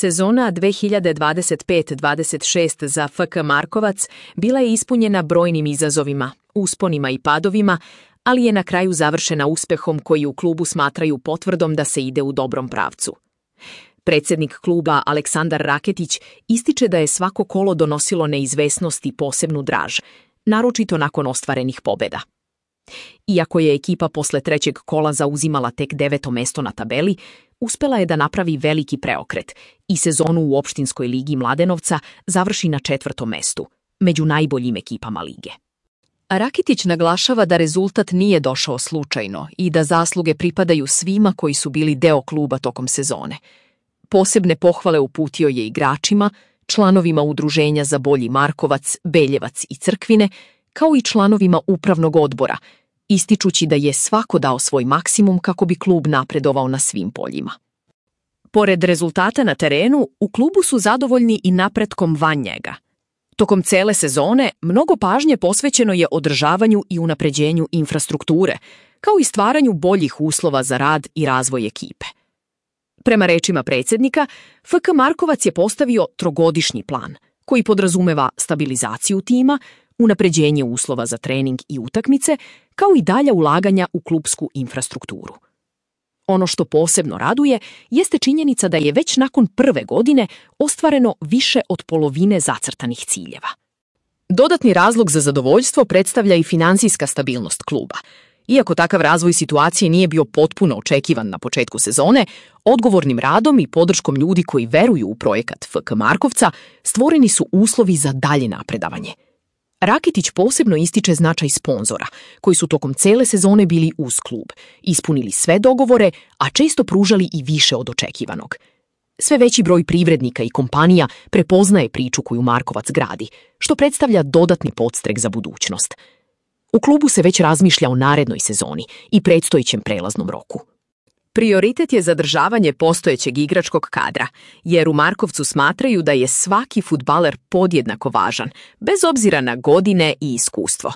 Sezona 2025-26 za FK Markovac bila je ispunjena brojnim izazovima, usponima i padovima, ali je na kraju završena uspehom koji u klubu smatraju potvrdom da se ide u dobrom pravcu. Predsjednik kluba Aleksandar Raketić ističe da je svako kolo donosilo neizvesnost i posebnu draž, naročito nakon ostvarenih pobjeda. Iako je ekipa posle trećeg kola zauzimala tek 9. mesto na tabeli, uspela je da napravi veliki preokret i sezonu u opštinskoj ligi Mladenovca završi na 4. mestu, među najboljim ekipama lige. Raketić naglašava da rezultat nije došao slučajno i da zasluge pripadaju svima koji su bili deo kluba tokom sezone. Posebne pohvale uputio je igračima, članovima udruženja za bolji Markovac, Beljevac i Crkvine, kao i članovima upravnog odbora, ističući da je svako dao svoj maksimum kako bi klub napredovao na svim poljima. Pored rezultata na terenu, u klubu su zadovoljni i napretkom van njega. Tokom cele sezone mnogo pažnje posvećeno je održavanju i unapređenju infrastrukture, kao i stvaranju boljih uslova za rad i razvoj ekipe. Prema rečima predsjednika, FK Markovac je postavio trogodišnji plan, koji podrazumeva stabilizaciju tima, unapređenje uslova za trening i utakmice, kao i dalja ulaganja u klupsku infrastrukturu. Ono što posebno raduje jeste činjenica da je već nakon prve godine ostvareno više od polovine zacrtanih ciljeva. Dodatni razlog za zadovoljstvo predstavlja i finansijska stabilnost kluba. Iako takav razvoj situacije nije bio potpuno očekivan na početku sezone, odgovornim radom i podrškom ljudi koji veruju u projekat FK Markovca stvoreni su uslovi za dalje napredavanje. Raketić posebno ističe značaj sponzora, koji su tokom cele sezone bili uz klub, ispunili sve dogovore, a često pružali i više od očekivanog. Sve veći broj privrednika i kompanija prepoznaje priču koju Markovac gradi, što predstavlja dodatni podstrek za budućnost. U klubu se već razmišlja o narednoj sezoni i predstojećem prelaznom roku. Prioritet je zadržavanje postojećeg igračkog kadra, jer u Markovcu smatraju da je svaki fudbaler podjednako važan, bez obzira na godine i iskustvo.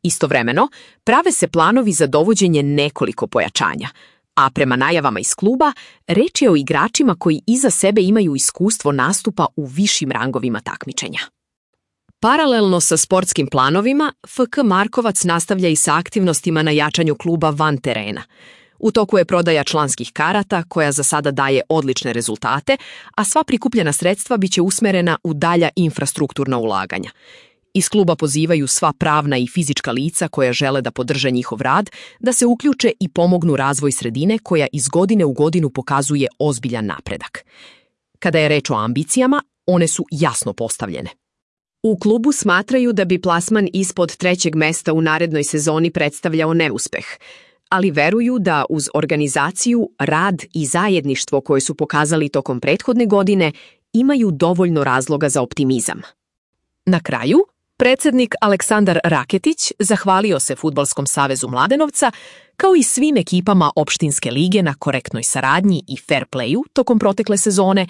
Istovremeno, prave se planovi za dovođenje nekoliko pojačanja, a prema najavama iz kluba, reč je o igračima koji iza sebe imaju iskustvo nastupa u višim rangovima takmičenja. Paralelno sa sportskim planovima, FK Markovac nastavlja i sa aktivnostima na jačanju kluba van terena. U toku je prodaja članskih karata, koja za sada daje odlične rezultate, a sva prikupljena sredstva biće usmerena u dalja infrastrukturna ulaganja. Iz kluba pozivaju sva pravna i fizička lica koja žele da podrže njihov rad, da se uključe i pomognu razvoj sredine koja iz godine u godinu pokazuje ozbiljan napredak. Kada je reč o ambicijama, one su jasno postavljene. U klubu smatraju da bi plasman ispod 3. mesta u narednoj sezoni predstavljao neuspeh, ali veruju da uz organizaciju, rad i zajedništvo koje su pokazali tokom prethodne godine imaju dovoljno razloga za optimizam. Na kraju, predsjednik Aleksandar Raketić zahvalio se Fudbalskom savezu Mladenovca kao i svim ekipama opštinske lige na korektnoj saradnji i fair playu tokom protekle sezone,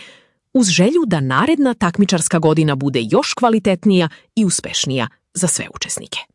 uz želju da naredna takmičarska godina bude još kvalitetnija i uspešnija za sve učesnike.